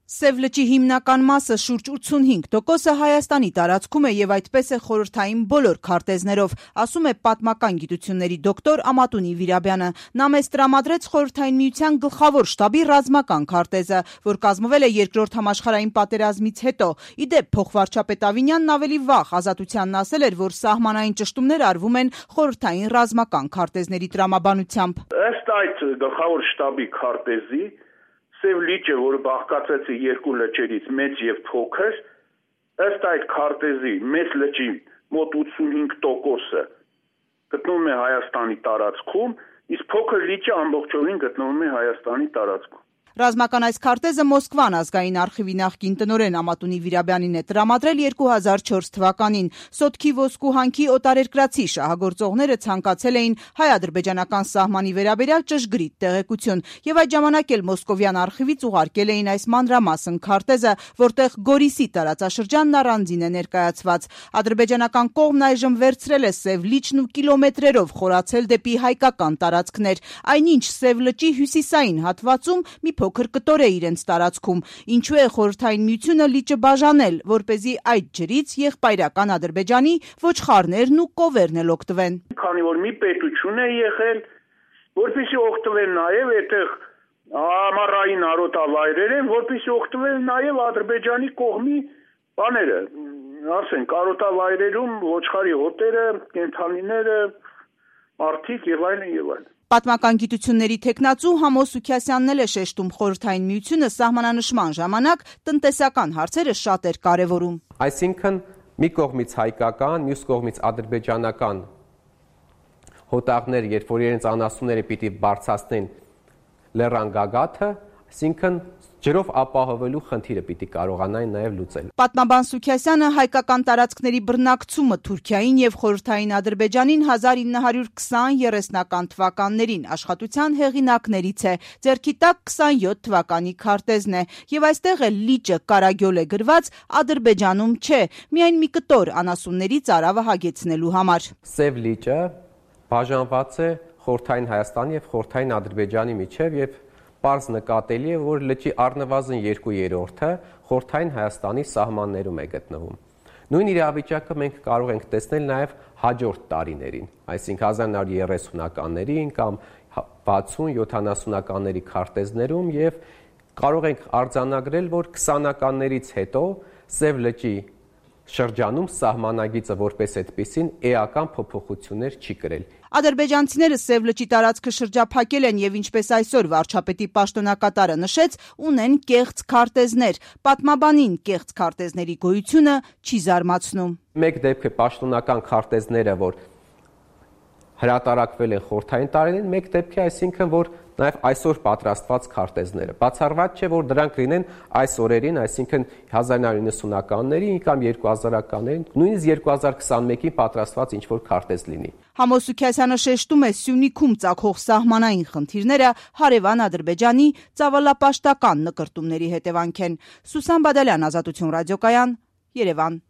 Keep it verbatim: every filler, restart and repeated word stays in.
Սև լճի հիմնական մասը շուրջ ութսունհինգ տոկոսը Հայաստանի տարածքում է եւ այդպես է խորհրդային բոլոր քարտեզներով, ասում է պատմական գիտությունների դոկտոր Ամատունի Վիրաբյանը։ Նա մեզ տրամադրեց Խորհրդային Միության գլխավոր շտաբի ռազմական քարտեզը, որ կազմվել է Երկրորդ համաշխարհային պատերազմից հետո։ Ի դեպ, փոխվարչապետ Ավինյանն ավելի վաղ Ազատությանն ասել էր, որ սահմանային ճշտումներ արվում են խորհրդային ռազմական քարտեզների տրամաբանությամբ։ Ըստ այդ գլխավոր շտաբի քարտեզի Սև լիճը, որը բաղկացած է երկու լճերից, մեծ եւ փոքր, ըստ այդ քարտեզի մեծ լճի մոտ ութսունհինգ տոկոսը գտնվում է Հայաստանի տարածքում, իսկ փոքր լիճը ամբողջովին գտնվում է Հայաստանի տարածքում։ Ռազմական այս քարտեզը Մոսկվան ազգային արխիվի նախկին տնօրեն Ամատունի Վիրաբյանին է տրամադրել երկու հազար չորս թվականին։ Սոտքի ոսկու հանքի օտարերկրացի շահագործողները ցանկացել էին հայ-ադրբեջանական սահմանի վերաբերյալ ճշգրիտ տեղեկություն եւ այդ ժամանակ էլ մոսկովյան արխիվից ուղարկել էին այս մանրամասն քարտեզը, որտեղ Գորիսի տարածաշրջանն առանձին է ներկայացված։ Ադրբեջանական կողմն այժմ վերցրել է Սև լիճն ու կիլոմետրերով խորացել դեպի հայկական տարածքներ, այնինչ Սև լճի հյուսիսային հատվածում մի փոքր կտոր է իրենց տարածքում, ինչու է Խորհրդային Միությունը լիճը բաժանել, որպեսզի այդ ջրից եղբայրական Ադրբեջանի ոչխարներն ու կովերն էլ օգտվեն։ Քանի որ մի պետություն է եղել, որպեսզի օգտվեն նաև այդտեղ ամառային արոտավայրեր են, որպեսզի օգտվեն նաև Ադրբեջանի կողմի բաները, ասենք արոտավայրերում ոչխարի հոտերը, կենդանիները, մարդիկ եւ այլն եւ այլն։ Պատմական գիտությունների թեկնածու Համո Սուքիասյանն էլ է շեշտում Խորհրդային Միությունը սահմանանշման ժամանակ տնտեսական հարցերը շատ էր կարևորում։ Այսինքն մի կողմից հայկական, մյուս կողմից ադրբեջանական հոտաղներ, երբ որ իրենց անասունները պիտի բարձրացնեն լեռան գագաթը, այսինքն ջրով ապահովելու խնդիրը պիտի կարողանային նաև լուծել։ Պատմաբան Սուքիասյանը հայկական տարածքների բռնակցումը Թուրքիային եւ խորհրդային Ադրբեջանին հազար ինը հարյուր քսան երեսնական թվականներին աշխատության հեղինակներից է։ Ձեռքի տակ քսանյոթ թվականի քարտեզն է եւ այստեղ է լիճը կարագյոլ է գրված, Ադրբեջանում չէ, միայն մի կտոր անասունների ծարավը հագեցնելու համար։ Սև լիճը բաժանված է խորհրդային Հայաստանի եւ խորհրդային Ադրբեջանի միջև եւ պարզ նկատելի է, որ լճի առնվազն երկու երրորդը խորհրդային Հայաստանի սահմաններում է գտնվում։ Նույն իրավիճակը մենք կարող ենք տեսնել նաև հաջորդ տարիներին, այսինքն հազար նոր երեսունականներին կամ վաթսուն յոթանասունականների քարտեզներում եւ կարող ենք արձանագրել, որ քսանականներից հետո Սև լճի շրջանում սահմանագիծը որպես այդպիսին էական փոփոխություններ չի կրել։ Ադրբեջանցիները Սև լճի տարածքը շրջափակել են եւ ինչպես այսօր վարչապետի պաշտոնակատարը նշեց, ունեն կեղծ քարտեզներ։ Պատմաբանին կեղծ քարտեզների գոյությունը չի զարմացնում։ Մեկ դեպք է պաշտոնական քարտեզները, որ հրատարակվել են խորհրդային տարիներին, մեկ դեպք է, այսինքն որ նաև այսօր պատրաստված քարտեզները։ Բացառված չէ, որ դրանք լինեն այս օրերին, այսինքն հազար նոր իննսունականներին կամ երկու հազարականներին, նույնիսկ երկու հազար քսանմեկին պատրաստված ինչ-որ քարտեզ լինի։ Համո Սուքիասյանը շեշտում է Սյունիքում ծագող սահմանային խնդիրները հարևան Ադրբեջանի ծավալապաշտական նկրտումների հետևանք են։ Սուսան Բադալյան, Ազատություն ռադիոկայան, Երևան։